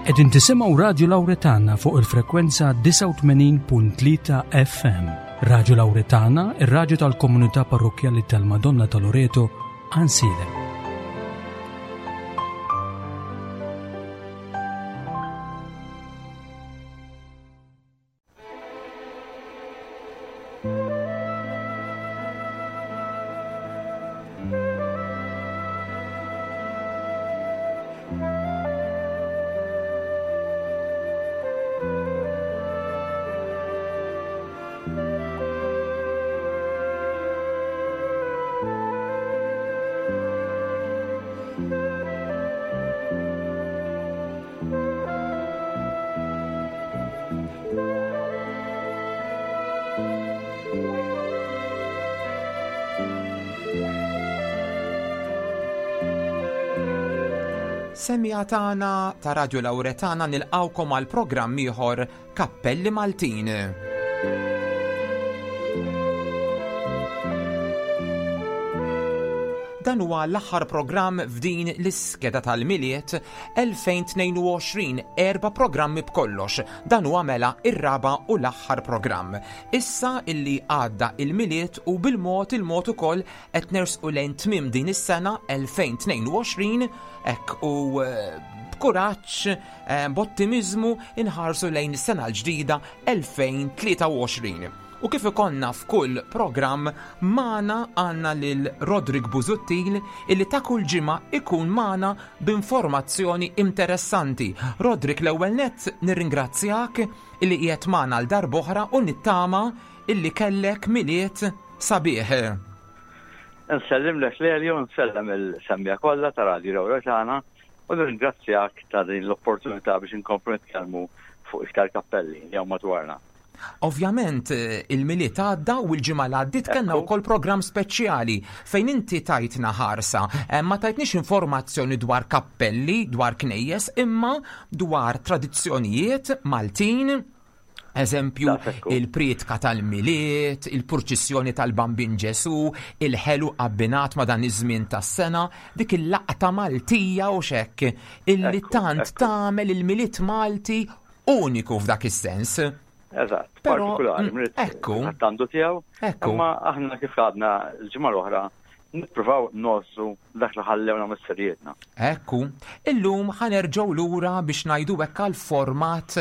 Qegħdin tisimgħu Radju Lawretana fuq il-frekwenza 89.3 FM. Radju Lawretana, ir-radju tal-komunità parrokkjali tal-Madonna ta' Loreto, Ansilem. Semmiegħa tagħna ta' Radio Lauretana nilqgħukom għal programm ieħor Kappelli Maltin. Dan huwa l-aħħar programm f'din l-iskeda tal-Milied 2022, erba' programmi b'kollox. Dan huwa mela ir-raba' u l-aħħar programm. Issa illi għadda il-Milied u bil-mod il-mod ukoll qed nersqu lejn tmiem din is-sena 2022 hekk u eh, b'kuraġġ eh, b'ottimiżmu inħarsu lejn is-sena l-ġdida 2023. U kif ikollna f'kull programm magħna għandna lil Roderick Busuttil illi ta' kull ġimgħa ikun magħna b'informazzjoni interessanti. Roderick l-ewwel nett nirringrazzjak illi qiegħed magħna għal darb'oħra u nittama illi kellek Milied sabiħ. Nsellimlek Lelio, nsellem il-semmiegħa kollha ta' Radio Ewro tagħna u nirringrazzjak ta' din l-opportunità biex inkomplu nitkellmu fuq iktar kappelli li hawn madwarna. Ovvjament il-Milied għadda u l-ġimgħa li għaddiet kellna wkoll programm speċjali fejn inti tajtna ħarsa. Eh, ma tajtniex informazzjoni dwar kappelli, dwar knejjes, imma dwar tradizzjonijiet Maltin, Eżempju, il-prietka tal-Milied, il-purċissjoni tal-Bambin Ġesù, il-ħelu abbinat ma' dan iż-żmien tas-sena, dik il-laqta Maltija u xekk illi tant tagħmel il-Milied Malti uniku f'dak is-sens. Eżatt, partikolari, mm, ekku. Għandu tiegħu. Ekku. Imma aħna kif għadna l-ġimgħa l-oħra nippruvaw ngħożżu dak li ħallewna missirijietna. Ekku. Illum ħanerġgħu lura biex ngħidu hekk għall-format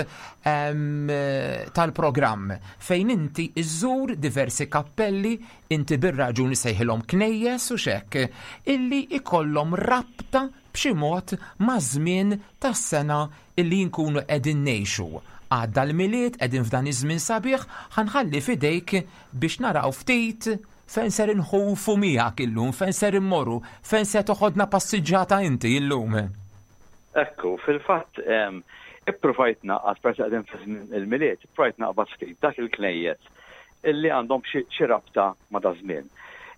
tal-programm fejn inti iżżur diversi kappelli, inti bir-raġun sejħilhom knejjes u xekk, illi ikollhom rabta b'xi mod maż-żmien tas-sena illi nkunu qegħdin ngħixu. Għadda l-Milied, qegħdin f'dan iż-żmien sabiħ, ħa nħalli f'idejk biex naraw ftit fejn ser inħufu miegħek illum, fejn ser immorru, fejn se toħodna passiġġata inti illum. Ekku, fil-fatt ippruvajt naqgħad peress li qegħdin fi żmien il-Milied, ippruvajt naqbad ftit dak il-knejjes illi għandhom xi rabta ma' daż-żmien.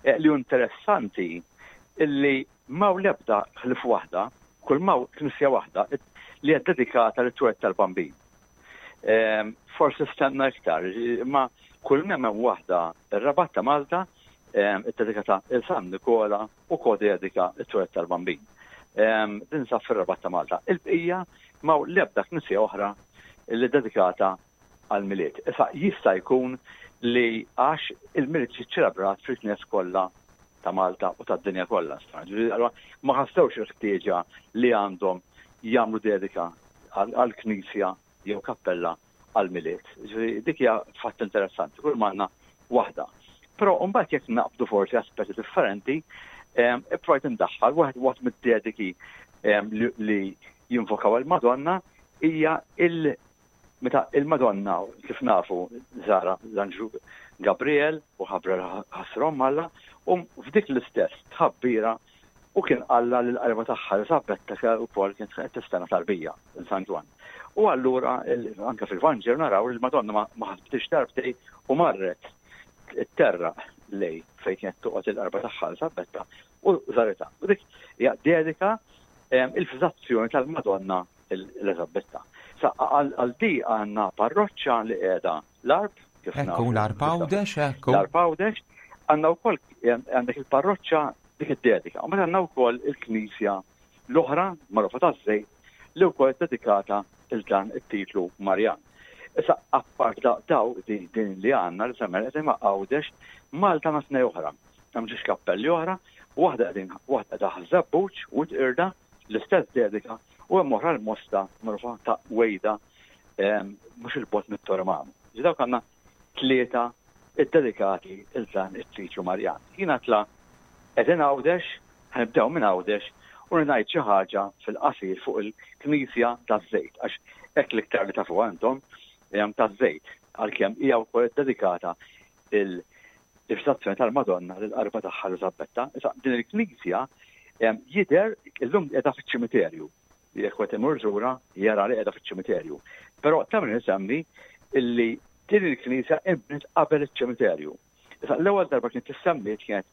Eh, li hu interessanti illi M'hawn l-ebda ħlief waħda, kull m'hawn knisja waħda li hija ddedikata lit-twelid tal-Bambin. Ehm, forsi stenna iktar, imma kull m'hemm hemm waħda ir-Rabat ta' Malta ehm, iddedikata il San Nikola u kodedika t-twelid tal-Bambin. Ehm, tinsab fir-Rabat ta' Malta. Il-bqija m'hawn l-ebda knisja oħra li dedikata għall-Milied. Issa jista' jkun li għax il-Milied ġie ċċelebrat fil-knejjes kollha ta' Malta u tad-dinja kollha. Allura ma ħassewx il-ħtieġa li għandhom jagħmlu dedika għall-knisja jew kappella għall-Milied. Ġifieri dik hija fatt interessanti, kull m'għandna waħda. Però mbagħad jekk naqbdu forsi aspetti differenti, ipprojt indaħħal waħed waħd mid-dediki li jinvokaw il-Madonna hija il- Meta il-Madonna, kif nafu, żara l-anġlu Gabriel u ħabbra ħasra omm Alla, u f'dik l-istess tħabbira u kien qallha lil qarba tagħha Eliżabetta wkoll kienet qed tistenna tarbija lil San Ġwann. U allura anke fil-Vanġelu naraw li l-Madonna ma ħasbitx darbtej u marret tterraq lej fejn kienet toqgħod il-qarba tagħha Eliżabetta u żaritha. U dik hija dedika il-fiżazzjoni tal-Madonna Eliżabetta. Sa għal di għandna parroċċa li qiegħda l-Arb, kif Ekku, l-Arb Għawdex, ekku. L-Arb Għawdex, għandna wkoll għandek il-parroċċa dik id-dedika. U meta għandna wkoll il-knisja l-oħra magħrufa taż-żejt li wkoll dedikata il dan it-titlu Marjan. Issa appart daw din li għandna li semmejna qegħdin ma' Għawdex, Malta għandna tnej oħra. Hemm ġiex kappelli oħra, waħda qegħdin waħda qiegħda Ħaż-Żebbuġ u Irda, l-istess dedika, u hemm oħra l-Mosta magħrufa ta' Wejda mhux il-bogħod mit-Tormanu. Dawk għandna tlieta ddedikati il dan it-titlu Marjan. Jiena tla qegħdin Għawdex, ħanibdew minn Għawdex u ngħid xi ħaġa fil-qasir fuq il-Knisja taż-Żejt għax hekk l-iktar li tafuha intom hemm taż-Żejt għalkemm hija wkoll iddedikata il-Viżitazzjoni tal-Madonna lill-qarba tagħha Eliżabetta. Issa din il-knisja jidher illum qiegħda fiċ-ċimiterju. Jekk wieħed imur żura jara li qiegħda fiċ-ċimiterju. Però ta' min isemmi illi din il-knisja inbniet qabel iċ-ċimiterju. Issa l-ewwel darba kienet tissemmiet kienet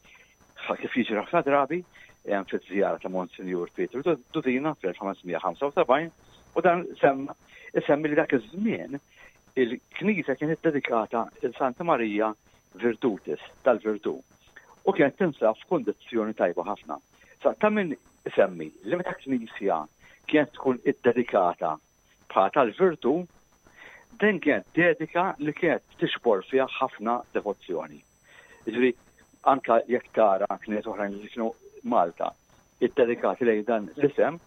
kif jiġri ħafna drabi fiż-żjara ta' Monsinjur Pietru Dudina fl-1575 u dan semma isemmi li dak iż-żmien il-knisja kienet dedikata il Santa Marija Virtutis tal-Virtù u kienet tinsab f'kundizzjoni tajba ħafna. Sa ta' min isemmi li meta knisja kienet tkun iddedikata bħala tal-virtù, din kienet dedika li kienet tixbor fiha ħafna devozzjoni. Jiġifieri anka jekk tara kniet oħrajn li kienu Malta iddedikati lejn dan l-isem,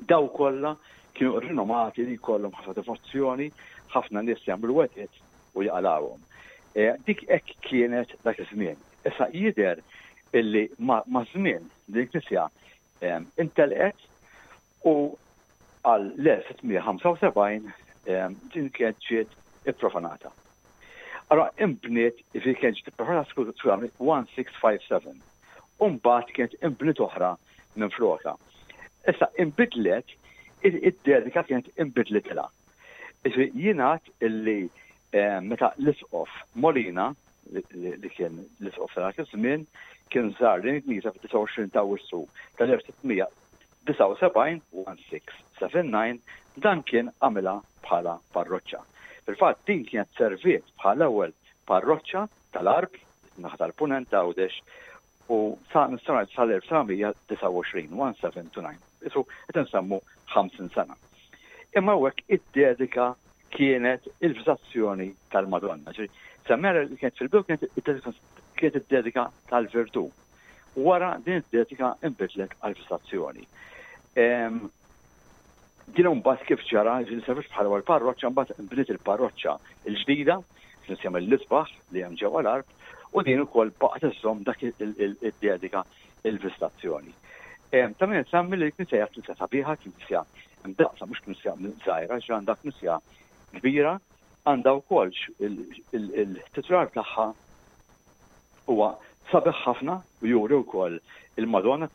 daw kollha kienu rinomati li jkollhom ħafna devozzjoni, ħafna nies jagħmlu wegħdiet u jaqalgħuhom. E, dik hekk kienet dak iż-żmien. Issa jidher illi ma' żmien din il-knisja e, intelqet u għal l-1675 e, din kienet ġiet ipprofanata. Allora imbniet, fi kienet ġiet ipprofanata skużani 1657. U mbagħad kienet imbniet oħra minflokha. Issa inbidlet id-dedika kienet inbidlitilha. Jingħad illi eh, meta l-isqof Molina li kien l-isqof ta' dak iż-żmien kien żar din il-knisja fid-29 ta' Awwissu tal-1679 1679 dan kien għamilha bħala parroċċa. Fil-fatt din kienet serviet bħala ewwel parroċċa tal-Għarb, naħa tal-Punent Għawdex, u sa nistgħu ngħid sal-1929, 1729. Isu qed insemmu 50 sena. Imma hawnhekk id-dedika kienet il-viżazzjoni tal-Madonna. Ġifieri semmera li kienet fil-bidu kienet id-dedika tal-virtù. Wara din id-dedika inbidlet għal-viżazzjoni. Din imbagħad kif ġara, ġifieri servit bħala ewwel parroċċa, mbagħad inbniet il-parroċċa l-ġdida, knisja mill-isbaħ li hemm ġewwa l-Għarb, u din ukoll baqgħet iżżomm dak id-dedika il-vistazzjoni. Ta' min insemmi li l-knisja hija knisja sabiħa, knisja mdaqqsa mhux knisja żgħira, ġifieri għandha knisja kbira, għandha wkoll il-titular tagħha Huwa sabiħ ħafna u juri wkoll il-Madonna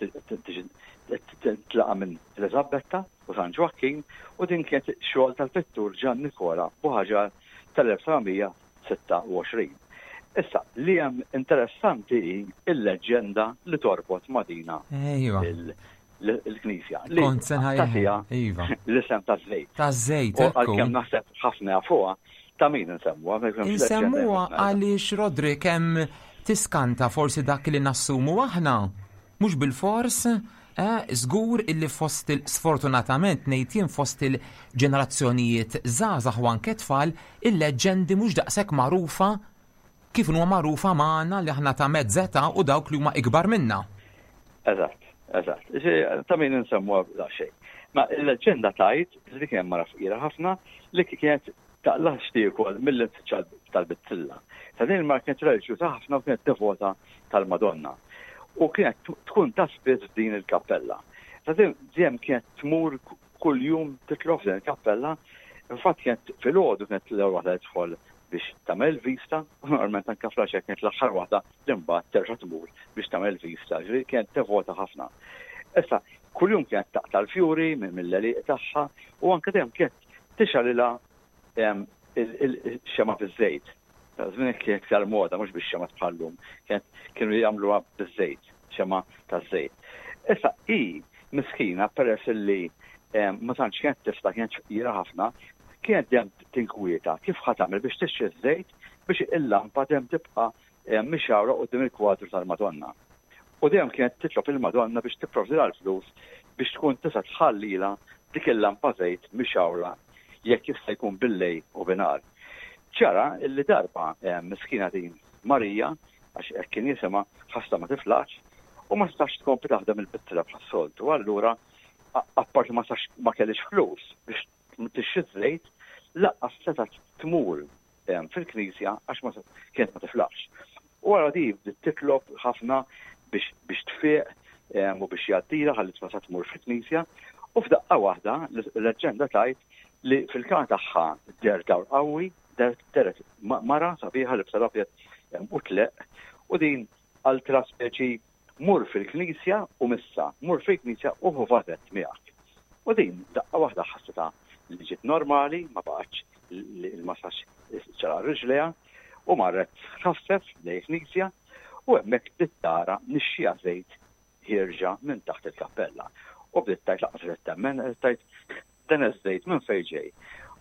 tlaqa' minn Eliżabetta u San Ġwakkin u din kienet xogħol tal-pittur Ġan Nikola Buħaġar tal-1726. Issa, li hemm interessanti hi l-leġġenda li torbot ma' dina l-knisja. Li Kont se tagħtiha iva. l-isem taż-żejt. Taż-żejt, U għalkemm naħseb ħafna jafuha, ta' min insemmuha. ma jkunx leġġenda Insemmuha ħafna. għaliex Roderick hemm tiskanta forsi dak li nassumu aħna. Mhux bilfors, eh, żgur illi fost il sfortunatament ngħid jien fost il-ġenerazzjonijiet żgħażagħ u anke tfal il-leġġendi mhux daqshekk magħrufa kif inhuma magħrufa magħna li aħna ta' mezz età u dawk li huma ikbar minna. Eżatt, eżatt. Ta' min insemmuha daqsxejn. Ma il-leġġenda tgħid li kien hemm mara fqira ħafna li kienet taqla' x'tiekol mill-infiċċa tal-bizzilla. Ta' din il-mara kienet reliġjuża ħafna u kienet devota tal-Madonna. U kienet tkun ta' spiss f'din il-kappella. Ta' din dejjem kienet tmur kuljum titlob f'din il-kappella. Infatti kienet filgħodu kienet l-ewwel waħda li tidħol biex tagħmel il-vista, u normalment anke fl-għaxija kienet l-aħħar waħda li mbagħad terġa' tmur biex tagħmel il-vista, ġifieri kienet devota ħafna. Issa, kuljum kienet taqta' l-fjuri mill-għelieqi tagħha u anke dejjem kienet tixgħalilha il-xema' biż-żejt. Ta' żmien kienet iktar moda mhux bix-xemgħat bħal-lum, kienet kienu jagħmluha biż-żejt, xemgħa taż-żejt. Issa hi miskina peress illi ma tantx kienet tifla kienet fqira ħafna, kienet dejjem tinkwieta kif ħa tagħmel biex tixtri ż-żejt biex il-lampa dejjem tibqa' mixgħura quddiem il-kwadru tal-Madonna. U dejjem kienet titlob il-Madonna biex tipprovdilha l-flus biex tkun tista' tħallilha dik il-lampa żejt mixgħula jekk jista' jkun billejl u binhar. Ġara illi darba miskina din Marija, għax hekk kien jisimha, ħassha ma tiflaħx u ma setax tkompli taħdem il-pittra bħas-soltu. Allura apparti ma setax ma kellhiex flus biex tixtri ż-żejt, lanqas setgħet tmur fil-knisja għax ma kienet ma tiflaħx. U wara di bdiet titlob ħafna biex biex tfiq u biex jgħaddilha ħalli tista' tmur fil-knisja. U f'daqqa waħda l-leġġenda tgħid li fil-kamra tagħha deher dawl qawwi, dehret mara sabiħa libsa l-abjad u tleqq u din qaltilha speċi Mur fil-knisja u missa, mur fil-knisja u ħu vażett miegħek. U din daqqa waħda ħassitha li ġiet normali, ma baqgħetx li l-massaġġ ċaraq riġlejha u marret tħaffef lejn il-knisja u hemmhekk bdiet tara nixxiegħa żejt ħierġa minn taħt il-kappella. U bdiet tgħid lanqas qed temmen, qed tgħid dan iż-żejt minn fejn ġej.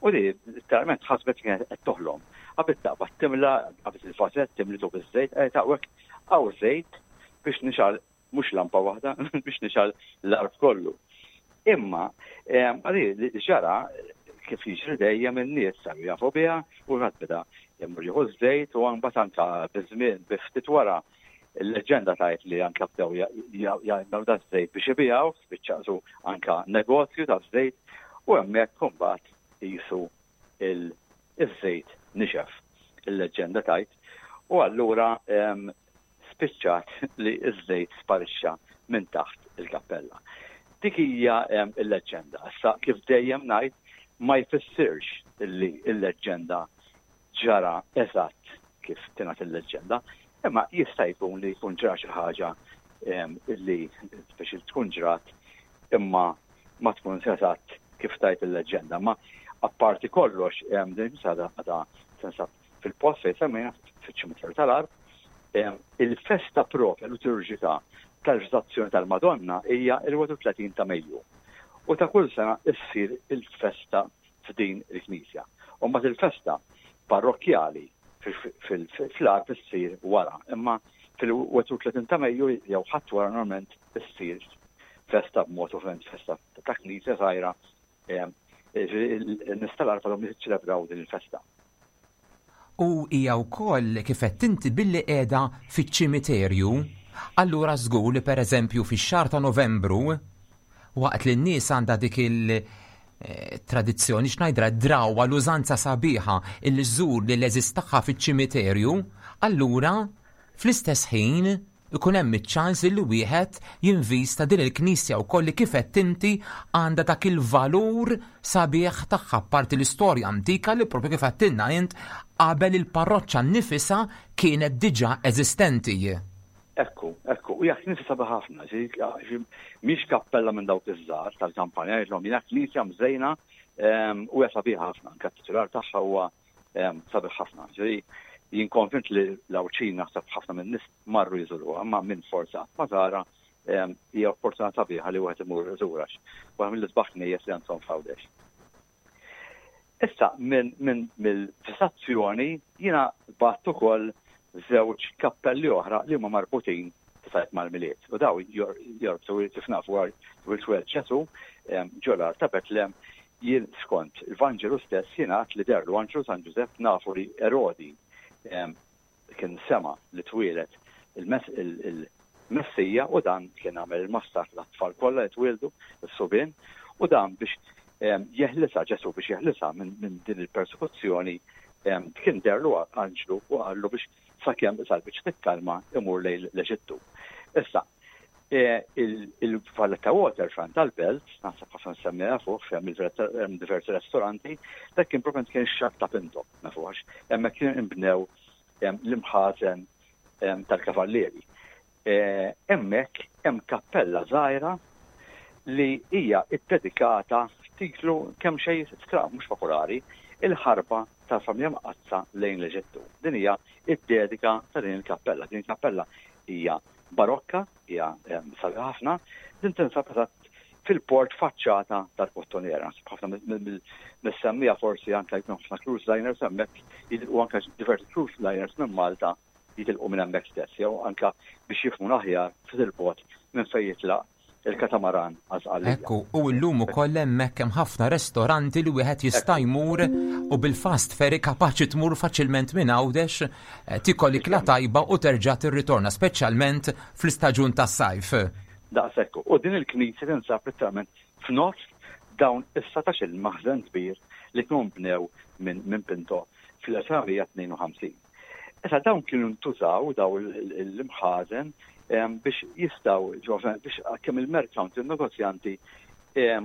U di literalment ħasbet li kienet qed toħlom. Qabel taqbad timla, qabad il-vażett timlitu biż-żejt, qed hawnhekk hawn żejt biex nixgħal mhux lampa waħda, biex nixgħal l-għarb kollu. Imma għali li ġara kif jiġri dejjem in-nies saru jafu biha u ħadd beda jmur jieħu ż-żejt u mbagħad anke biż-żmien bi ftit wara il-leġġenda tgħid li anke bdew jagħmlu da żejt biex ibigħu, spiċċa anke negozju ta' żejt u hemmhekk imbagħad qisu il-żejt nixef, il-leġġenda tgħid. U allura spiċċat li ż-żejt sparixxa minn taħt il-kappella. Dik hija l-leġġenda. Issa kif dejjem ngħid ma jfissirx li l-leġġenda ġara eżatt kif tingħad il-leġġenda, imma jista' jkun li jkun ġara xi ħaġa li speċi tkun ġrat imma ma tkunx eżatt kif tgħid il-leġġenda. Ma apparti kollox din sada għadha tinsab fil-post fejn semmejna fiċ-ċimiterju tal-Għarb. Il-festa propja liturġika tal-Viżitazzjoni tal-Madonna hija il-31 ta' Mejju. U ta' kull sena issir il-festa f'din il-knisja. U mbagħad il-festa parrokkjali fl-Għarb issir wara, imma fil-31 ta' Mejju jew Ħadd wara normalment issir festa b'mod ovvjament festa ta' knisja żgħira in-nies tal-Għarb għadhom jiċċelebraw din il-festa. U hija wkoll kif għedt inti billi qiegħda fiċ-ċimiterju, allura żgur li pereżempju fix-xahar ta' Novembru waqt li n-nies għandha dik il- eh, tradizzjoni x'ngħidra drawwa l-użanza sabiħa illi żżur lil eżis tagħha fiċ-ċimiterju, allura fl-istess ħin ikun hemm iċ-ċans li wieħed jinvista din il-knisja wkoll li kif għedt inti għandha dak il-valur sabiħ tagħha apparti l-istorja antika li propju kif għedtilna int qabel il-parroċċa nnifisha kienet diġà eżistenti. Ekku, ekku, u hija knisja sabiħa ħafna, mhix kappella minn dawk iż-żgħar tal-kampanja, jgħidlhom hija knisja mżejna ehm, u hija sabiħa ħafna, anke t-titular tagħha huwa ehm, sabiħ ħafna. Ġifieri jien konvint li l-Għawdxin naħseb ħafna minn nies marru jżuruha, imma minn forza ma tara ehm, hija opportunità sabiħa li wieħed imur iżura. Waħda mill-isbaħ knejjes li għandhom f'Għawdex. Issa minn min, mill-fissazzjoni jiena bat ukoll żewġ kappelli oħra li huma marbutin sajt mal-Milied. U daw jorbtu kif nafu għal twelid Ġesù ehm, ġolar ta' Betlem Jien skont il-Vanġelu stess jingħad li deherlu anġlu San Ġużepp nafu li Erodi kien sema' li twieled il-Messija u dan kien għamel il-massakr tat-tfal kollha li twieldu, is-subien, u dan biex jeħlisha Ġesù biex jeħlisha minn din il-persekuzzjoni kien deherlu anġlu u qallu biex sakemm is-salbiċ tikkalma imur lejn l-Eġittu. Issa, E, il-Valletta Waterfront tal-Belt, naħseb ħafna semmejha fuq, fejn hemm diversi ristoranti, dak kien propjament kien ix-xatt ta' Pinto, nafu għax, hemmhekk kien inbnew l-imħażen tal-kavallieri. E, hemmhekk hemm kappella żgħira li hija ddedikata titlu kemm xejn stram mhux popolari, il-ħarba tal-Familja Mqaddsa lejn l-Eġittu. Din hija id-dedika ta' din il-kappella. Din il-kappella hija barokka, hija sabiħa ħafna, din tinsab eżatt fil-port faċċata tal-Kottonera. Naħseb ħafna mis-semmija forsi anke jkun ħafna cruise liners hemmhekk jitilqu anke diversi cruise liners minn Malta jitilqu minn hemmhekk stess jew anke biex jifhmu aħjar ftit il-bogħod minn fejn jitlaq il-katamaran għal Sqallija. Ekku, u llum ukoll hemmhekk hemm ħafna restoranti li wieħed jista' jmur u bil-fast ferry kapaċi tmur faċilment minn Għawdex, eh, tikol ikla tajba u terġa' tirritorna, speċjalment fl-istaġun tas-sajf. Daqshekk. U din il-knisja tinsab letteralment f'nofs dawn is-satax il-maħżen kbir li kienu nbnew minn min Pinto fl-1952. Issa dawn kienu ntużaw daw l-imħażen biex jistaw biex kemm il-merkanti, il-negozjanti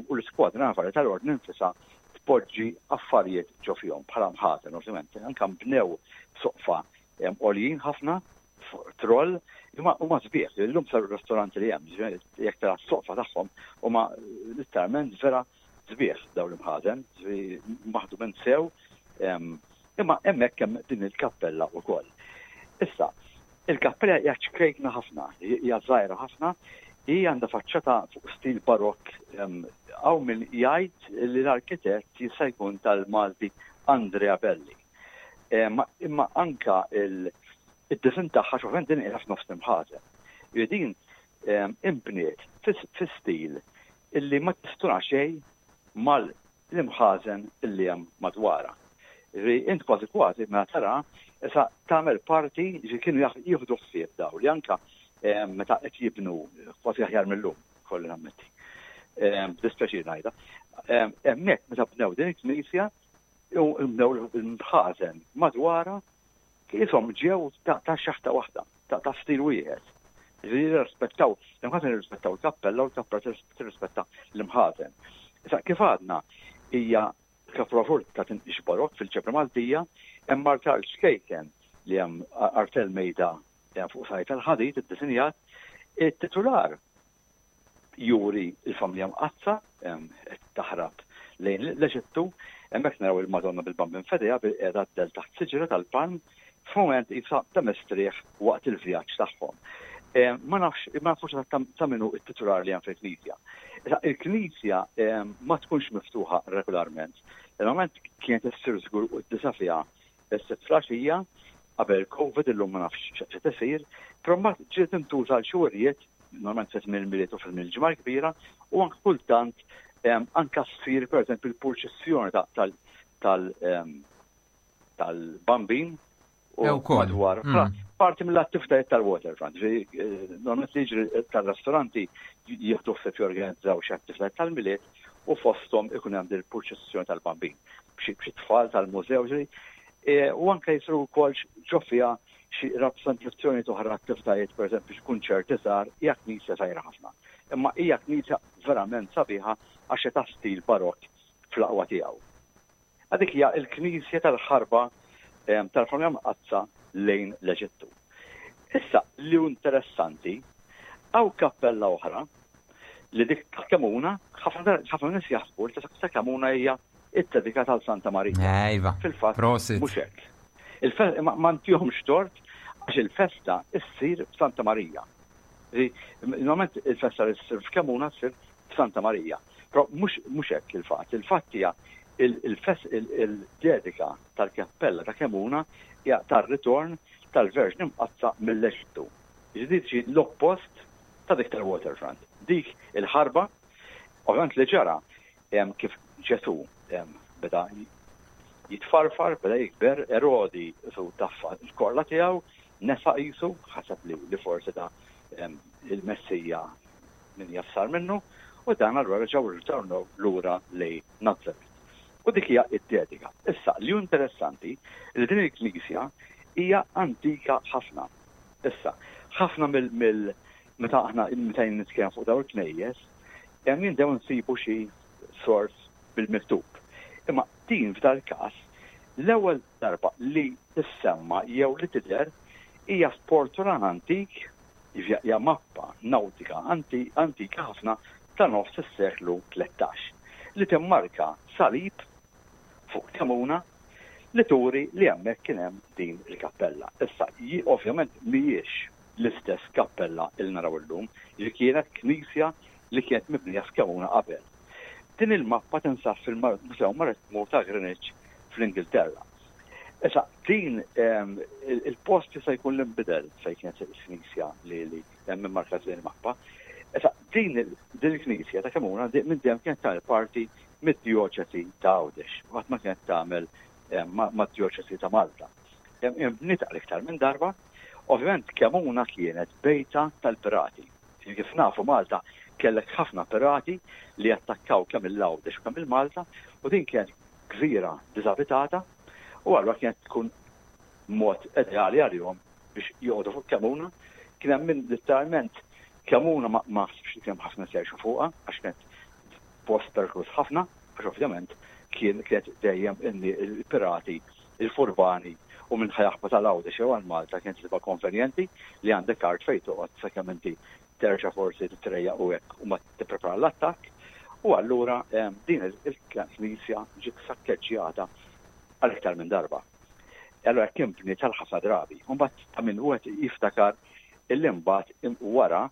u l-iskwadra navali tal-ordni nfisha tpoġġi affarijiet ġo fihom bħala mħażen ovvjament. Anke bnew soqfa għoljin ħafna troll imma huma sbieħ illum saru ristoranti li hemm, jekk tara s-soqfa tagħhom huma letteralment vera sbieħ dawn l-imħażen, maħdumin sew, imma hemmhekk hemm din il-kappella wkoll. Issa, il-kappella hija ċkejkna ħafna, hija żgħira ħafna, hi għandha faċċata fuq stil barokk hawn min jgħid li l-arkitett jista' jkun tal-Malti Andrea Belli. Imma anka il-disin tagħha xofent din qiegħda f'nofs l-imħażen. Din imbniet fi stil illi ma tistuna xejn mal l-imħażen illi hemm madwarha. Jiġifieri int kważi kważi meta tara issa tagħmel parti jiġifieri kienu jieħdu ħsieb daw li anka eh, meta qed jibnu kważi aħjar mill-lum, kolli nammetti. Eh, b'dispjaċir ngħidha. Eh, hemmhekk meta bnew din il-knisja u bnew l-imħażen madwarha Qishom ġew ta' xaħta waħda, ta' stil wieħed. Jiġifieri jirrispettaw, l-imħażen jirrispettaw il-kappella u l-kappella tirrispetta l-imħażen. Issa kif għadna hija kapolavur ta' tinqix barokk fil-ġebra Maltija, hemm artal ċkejken li hemm artel mejda fuq sajt tal-ħadid iddisinjat, it-titular juri l-familja mqaddsa qed taħrab lejn l-Eġittu, hemmhekk naraw il-Madonna bil-Bambin f'idejha bilqiegħda d-dell taħt siġra tal-palm f'mument qisha ta' mistrieħ waqt il-vjaġġ tagħhom. Ma nafx, ma nafux eżatt ta' min hu t-titular li hemm fil-knisja. Issa il-knisja ma tkunx miftuħa regolarment. Normalment kienet issir żgur quddiesa fiha Is-Sibt filgħaxija, qabel il-Covid, illum ma nafx x'qed isir, però mbagħad ġiet tintuża għal xi wirjiet, normalment fi żmien il-Milied u fi żmien il-Ġimgħa l-Kbira, u anke kultant anke ssir pereżempju l-purċissjoni tal-Bambin u madwar. Parti mill-attivitajiet tal-waterfront, eh, normalment li jiġri tal-ristoranti jieħdu ħsieb jorganizzaw xi attivitajiet tal-Milied u fosthom ikun hemm din il-purċissjoni tal-Bambin. b'xi tfal tal-mużew, e, u anke jisru wkoll ġo fiha xi rappreżentazzjoni oħra attivitajiet, pereżempju xi kunċerti żgħar, hija knisja żgħira ħafna. Imma hija knisja verament sabiħa għax ta' stil barokk fl-aqwa tiegħu. Għadik hija l-knisja tal-ħarba tal-Familja Mqaddsa lejn l-Eġittu. Issa li hu interessanti, hawn kappella oħra li dik ta' Kemuna, ħafna nies jaħsbu li ta' Kemuna hija iddedikata għal Santa Marija. Ejva. Fil-fatt, mhux hekk. Ma ntihomx tort għax il-festa ssir f'Santa Marija. Normalment il-festa li ssir f'Kemuna ssir f'Santa Marija. Però mhux hekk il-fatt. Il-fatt hija il-dedika tal-kappella ta' Kemuna hija tar-ritorn tal-Verġni Mqaddsa mill-Eġittu. Jiġifieri l-oppost ta' dik tal-waterfront. Dik il-ħarba, ovvjament li ġara kif Ġesù beda jitfarfar, beda jikber, Erodi qisu taffa l-korla tiegħu, nesa qisu, ħaseb li, li forsi da il-Messija min jaf sar minnu, u dan allura reġgħu rritornaw lura lejn Nazaret. U dik hija id-dedika. Issa, li hu interessanti li din il-knisja hija antika ħafna. Issa, ħafna mill, mill meta aħna meta jien nitkellem fuq dawn il-knejjes, hemm jindew nsibu xi sors bil-miktub. Imma din f'dal-każ l-ewwel darba li tissemma jew li tidher hija f'portulan antik, jiġifieri hija mappa nawtika antika ħafna ta' nofs is-seklu 13, li timmarka salib fuq Kemuna li turi li hemmhekk kien hemm din il-kappella. Issa, ovvjament mhijiex l-istess kappella li naraw illum, li kienet knisja li kienet mibnija f'Kemuna qabel. Din il-mappa tinsab fil-Mużew Marittimu ta' Greenwich fl-Ingilterra. Issa, din il-post jista' jkun li nbidel fejn kienet il-knisja li hemm immarkat din il-mappa. Issa, Din il-knisja ta' Kemuna minn dejjem kienet tagħmel parti mid-djoċesi ta' Għawdex, qatt ma kienet tagħmel mad-djoċesi ta' Malta. Inbniet għal iktar minn darba, ovvjament Kemuna kienet bejta tal-pirati. Kif nafu Malta kellek ħafna pirati li attakkaw kemm il-Għawdex u kemm il-Malta u din kienet gżira diżabitata u allura kienet tkun mod ideali għalihom biex joqogħdu fuq Kemuna. Kien hemm min litteralment Kemuna ma naħsibx li kien hemm ħafna jgħixu fuqha għax kienet post perikoluż ħafna, għax ovvjament kien kienet dejjem il-pirati, il-furbani u minn ħajaħba tal-Għawdex jew għal Malta kienet tibqa' konvenjenti li għandek art fejn toqgħod sakemm inti terġa' forsi titrejjaq u hekk u ma tipprepara l-attakk. U allura din il-knisja ġiet sakkeġġjata għal iktar minn darba. Allura hekk inbniet għal ħafna drabi. U mbagħad ta' min wieħed jiftakar illi mbagħad wara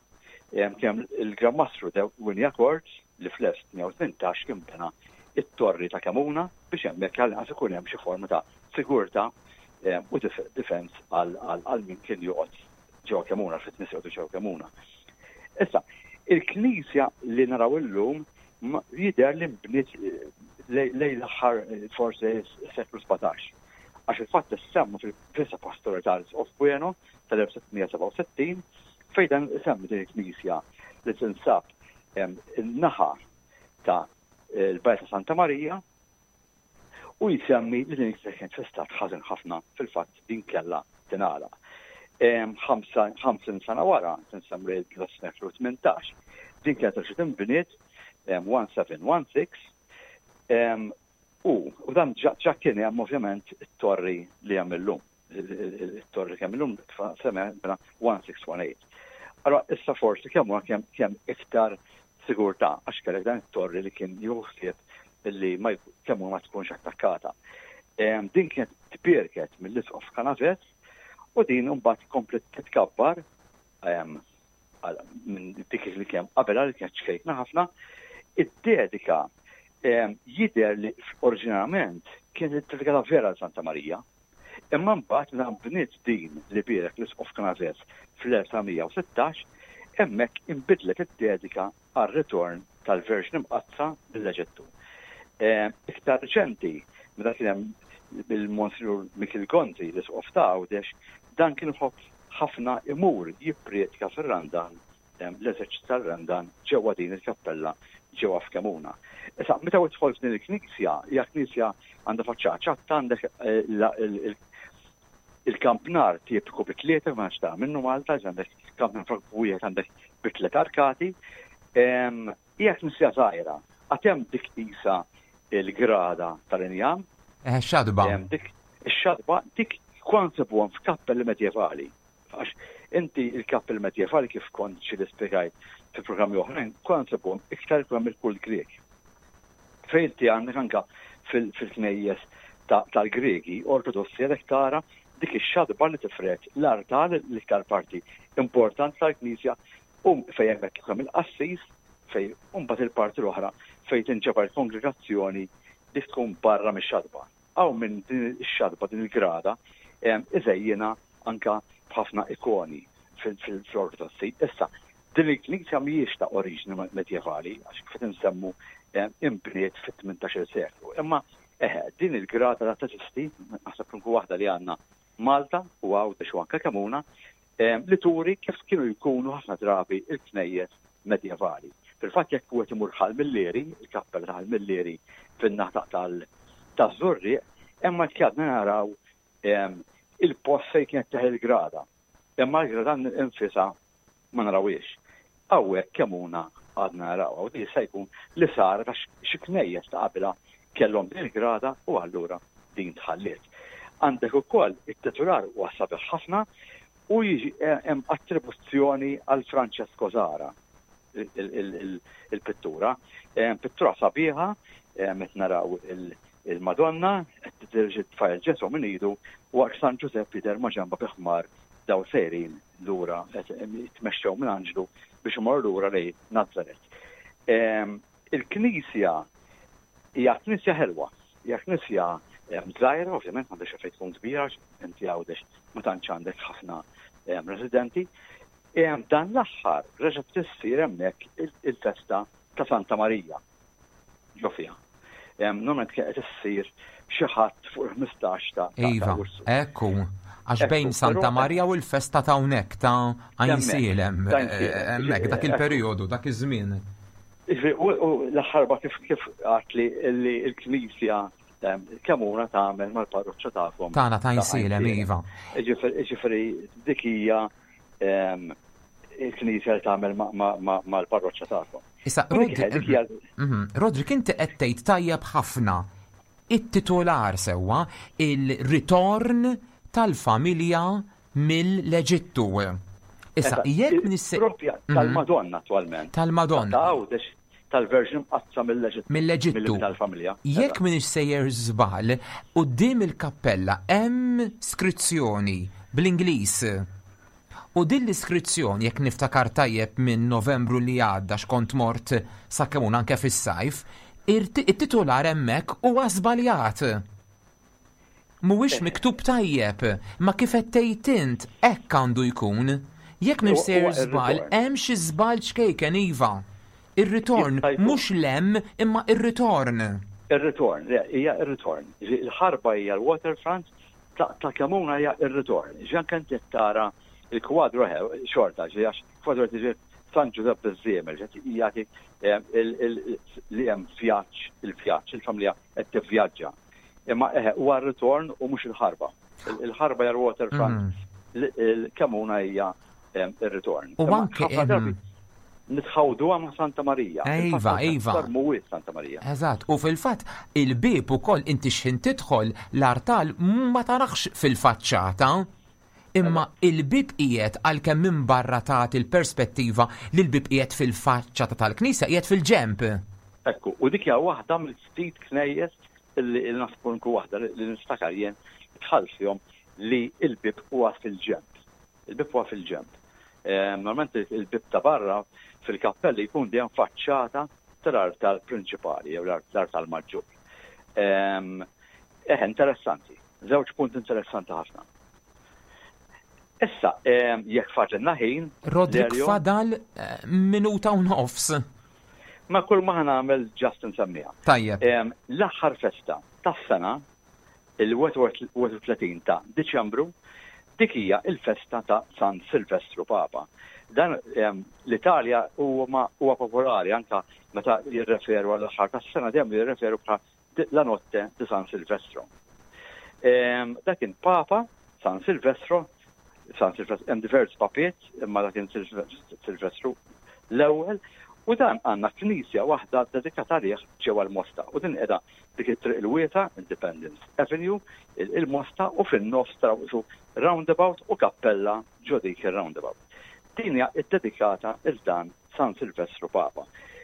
kemm il-Gran Mastru de Wignacourt li fl-1618 kien bena it-torri ta' Kemuna biex hemmhekk għall-inqas ikun hemm xi forma ta' sigurtà u defense għal min kien joqgħod ġewwa Kemuna, fit-nies joqogħdu ġewwa Kemuna. Issa, il-knisja li naraw illum jidher li nbniet lejn l-aħħar forsi s-seklu 17. Għax il-fatt issemma fil-Vista Pastorali tal-Isqof Bueno tal-1667 fejn dan isemmi din il-knisja li tinsab in-naħa ta' l-Bajja ta' Santa Marija u jsemmi li din il-knisja kienet fi stat ħażin ħafna fil-fatt din kellha tingħalaq. 50 sena wara, tinsemmi l-seklu 18, din kienet reġgħet inbniet 1716 u u dan ġa kien hemm ovvjament it-torri li hemm illum. It-torri kemm illum sema 1618. Allora issa forsi kemm huwa kemm iktar sigurtà għax kellek dan it-torri li kien jieħu ħsieb li ma kemm ma tkunx attakkata. Din kienet tbierket mill-Isqof Canaves u din imbagħad komplet titkabbar minn dik li kien qabel għal kienet ċkejkna ħafna, id-dedika jidher li oriġinarjament kienet id-dedika vera Santa Marija. Imma mbagħad meta nbniet din li bierek l-Isqof Canaves fl-1916, hemmhekk inbidlet id-dedika għar-ritorn tal-Verġni Mqaddsa mill-Eġittu. Iktar riċenti, meta kien hemm il-Monsinjur Mikiel Gonzi, l-Isqof ta' Għawdex, dan kien iħobb ħafna imur jipprietka fir-Randan l-eżerċizzju tar-Randan ġewwa din il-kappella ġewwa f'Kemuna. Issa, meta tidħol f'din il-knisja, hija knisja għandha faċċata ċatta għandek eh, il-kampnar tipiku bi tlieta ma nafx minnu Malta, għandek kampnar wieħed għandek bi tliet arkati. Hija knisja żgħira, għad hemm dik qisha il-grada tal-injam. Eh, xadba. Dik ix-xadba dik kont sibuhom f'kappelli medjevali. Għax inti il-kappell medjevali kif kont xi spjegajt fi programmi oħrajn, kont nsibuhom iktar ikun hemm il-kult Grieg. Fejn inti għandek anka fil-knejjes tal-Griegi Ortodossi għalhekk tara dik ix-xadba li tifred l-artal l-iktar parti importanti tal-Knisja u fejn hemmhekk ikun il-qassis fejn mbagħad il-parti l-oħra fejn tinġabar il-kongregazzjoni dik tkun barra mix-xadba. Hawn min din ix-xatba, din il-grada, iżejjinha anka b'ħafna ikoni fl-Ortodossi. Issa, din il-knisja mhijiex ta' oriġini medjevali, għax kif qed insemmu inbniet fit-18-il seklu. Imma eħe, din il-grada la teżisti, naħseb l-uniku waħda li għandna Malta u Għawdex u anke Kemuna, li turi kif kienu jkunu ħafna drabi il-knejjes medjevali. Fil-fatt jekk wieħed imur Ħal Millieri, il-kappella ta' Ħal Millieri fin-naħa taż-Żurrieq, hemm għad għadna naraw il-post fejn kienet teħel il-grada. Imma l-grada nfisha ma narawhiex. Hawnhekk Kemuna għadna narawha u din jista' jkun li saret għax xi knejjes ta' qabilha kellhom din il-grada u allura din tħalliet. Għandek ukoll it-titular huwa sabiħ ħafna u jiġi eh, hemm attribuzzjoni għal Francesco Zara il-pittura. Eh, pittura sabiħa, eh, qed naraw il-Madonna qed tiddirġi tfajl Ġesu minn idu waqt San Ġużepp jidher ma' ġenba bi ħmar daw sejrin lura qed jitmexxew minn anġlu biex imorru lura lejn Nazaret. Il-knisja hija knisja ħelwa, hija knisja żgħira, ovvjament m'għandekx fejn tkun kbira, inti Għawdex ma tantx għandek ħafna residenti. Dan l-aħħar reġgħet issir hemmhekk il-festa ta' Santa Marija ġo fiha. Normalment kienet issir xi ħadd fuq il-15 ta' Iva, ekku. Għax bejn Santa Marija u l-festa ta' hawnhekk ta' Għajnsielem, hemmhekk dak il-perjodu, dak iż-żmien. U l-aħħar kif kif għat li l-Knisja Kemmuna tagħmel mal-parroċċa tagħkom. Tagħna ta' Għajnsielem, iva. Ġifieri dik hija il-Knisja li tagħmel mal-parroċċa tagħkom. Issa, Rodrik, inti qed tgħid tajjeb ħafna it-titular sewwa il-ritorn tal-familja mill-Eġittu. Issa, jekk nisse. Propja tal-Madonna attualment. Tal-Madonna. Ta' Għawdex tal-Verġni Mqaddsa mill-Eġittu. Mill-Eġittu. Tal-familja. Jekk m'iniex sejjer żball, quddiem il-kappella hemm skrizzjoni bl-Ingliż. U din l-iskrizzjoni, jekk niftakar tajjeb minn Novembru li għadda x'kont mort sa kemm anke fis-sajf, it-titular hemmhekk huwa żbaljat. Mhuwiex miktub tajjeb, ma kif qed tgħid int hekk għandu jkun. Jekk mhux sejjer żball, hemm xi żball ċkejken iva. Ir-ritorn mhux l-hemm imma ir-ritorn. Ir-ritorn, le, hija ir-ritorn. Il-ħarba hija l-waterfront, ta' Kemmuna hija ir-ritorn. Ġi anke inti tara il-kwadru xorta, ġi għax kwadru qed San Ġużepp biż-żiemel, jagħti li hemm vjaġġ, il-vjaġġ, il-familja qed tivvjaġġa. Imma eħe, huwa r-ritorn u mhux il-ħarba. Il-ħarba hija l-waterfront, il-Kemmuna hija ir-ritorn. U anke nitħawduha ma' Santa Marija. Iva, iva. Mhuwiex Santa Marija. Eżatt, u fil-fatt il-bieb ukoll inti x'ħin tidħol l-artal ma tarax fil-faċċata. Imma il-bieb qiegħed għalkemm minn barra tagħti l-perspettiva li l-bieb qiegħed fil-faċċata tal-knisja qiegħed fil-ġenb. Ekku, u dik hija waħda mill-ftit knejjes li naħseb nkun waħda li niftakar jien dħalt fihom li l-bieb huwa fil-ġenb. Il-bieb huwa fil-ġenb. Normalment il-bieb ta' barra fil-kappelli jkun dejjem faċċata tal-artal prinċipali jew l-artal maġġur. Eħe, interessanti. Żewġ punt interessanti ħafna. Issa, jekk fadlilna ħin. Rodrik fadal eh, minuta u nofs. Ma kull ma nagħmel ġast nsemmiha. Tajjeb. L-aħħar festa tas-sena il-31 ta' Diċembru, dik hija il-festa ta' San Silvestru Papa. Dan l-Italja huwa popolari anka meta jirreferu għall-aħħar tas-sena dejjem jirreferu bħala La Notte di San Silvestro. Dak kien Papa San Silvestro, San Silvestro, hemm diversi papiet, imma dak kien Silvestru l-ewwel, u dan għandna knisja waħda dedikata għalih ġewwa l-Mosta. U din qiegħda dik it-triq il-wiesa, Independence Avenue, il-Mosta, u fin-nofs taraw qisu roundabout u kappella ġo dik ir-roundabout. Din hija ddedikata 'l dan San Silvestru Papa.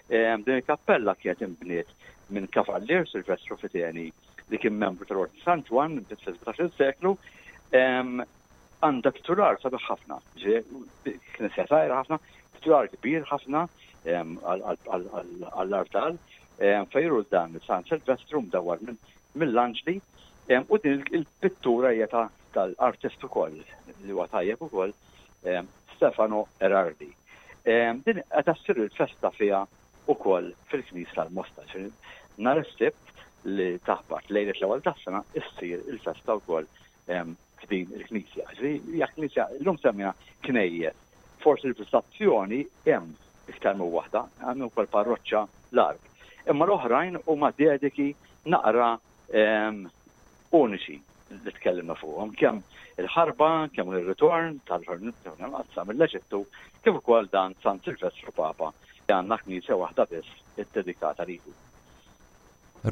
Din il-kappella kienet inbniet minn Kavallier Silvestru Fiteni li kien membru tal-Ordni San Ġwann minn fis-17 seklu. Għandha titular sabiħ ħafna, knisja żgħira ħafna, titular kbir ħafna għall-artal, fejru dan San Silvestru mdawwar mill-anġli u din il-pittura hija tal-artist ukoll li huwa tajjeb ukoll Stefano Erardi. Din qed ssir il-festa fiha ukoll fil-Knisja tal-Mosta. Nhar is-Sibt li taħbat lejlet l-ewwel tas-sena issir il-festa wkoll f'din il-knisja. Hija knisja llum semmejna knejjes. Forsi l-fl-istazzjoni hemm iktar minn waħda, hemm ukoll parroċċa l-Għarb. Imma l-oħrajn huma dediki naqra uniċi li tkellimna fuqhom, kemm il-ħarba, kemm ir-ritorn tal-Ħarba mill-Eġittu, kif ukoll dan San Silvestru Papa li għandna knisja waħda biss iddedikata lilu.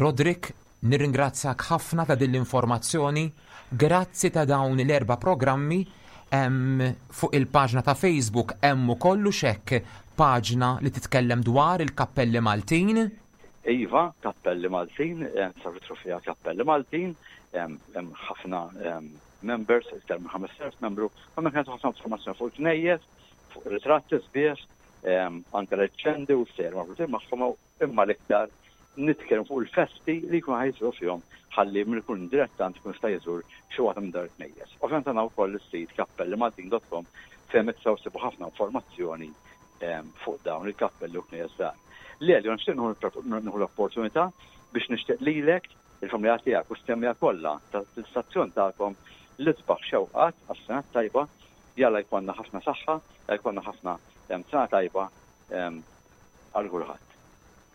Roderick, nirringrazzjak ħafna ta' din l-informazzjoni. Grazzi ta' dawn l-erba' programmi. Fuq il-paġna ta' Facebook hemm ukoll hux hekk paġna li titkellem dwar il-kappelli Maltin. Iva, Kappelli Maltin, tistgħu fiha Kappelli Maltin, hemm ħafna members, iktar minn 5000 membru, u hemmhekk nagħtu ħafna informazzjoni fuq il-knejjes, fuq ritratti sbieħ, anke leġġendi u stejjer marbutin magħhom, imma l-iktar nitkellmu fuq il-festi li jkunu ħa jsiru fihom ħalli min ikun dilettant ikun jista' jżur xi waħda minn dawn il-knejjes. Ovvjament għandna wkoll is-sit kappellimaltin.com. Fejn tistgħu ssibu ħafna informazzjoni fuq dawn il-kappelli u knejjes żgħar. Lelio, nixtieq nieħu l-opportunità biex nixtieq lilek, il-familja tiegħek u s-semmiegħa kollha tal-istazzjon tagħkom l-isbaħ xewqat għas-sena t-tajba. Jalla jkollna ħafna saħħa, jalla jkollna ħafna sena tajba għal kulħadd.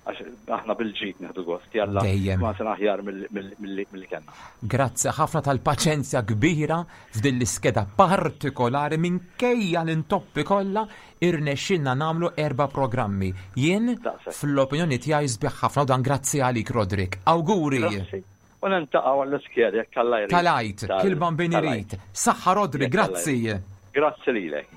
Għax aħna bil-ġid nieħdu gost, jalla Dejjem. ma sena aħjar milli kellna. Grazzi ħafna tal-paċenzja kbira f'din l-iskeda partikolari minkejja l-intoppi kollha irnexxilna nagħmlu erba' programmi. Jien Daqshekk. fl-opinjoni tiegħi sbieħ ħafna u dan grazzi għalik Roderick. Awguri! Grazzi. U niltaqgħu għall-iskeda jekk Alla jrid. Tal-Għid, Tal- kil bambin tal-Għid. irid. Saħħa Roderick, Jekk Alla grazzi. jrid. Grazzi lilek.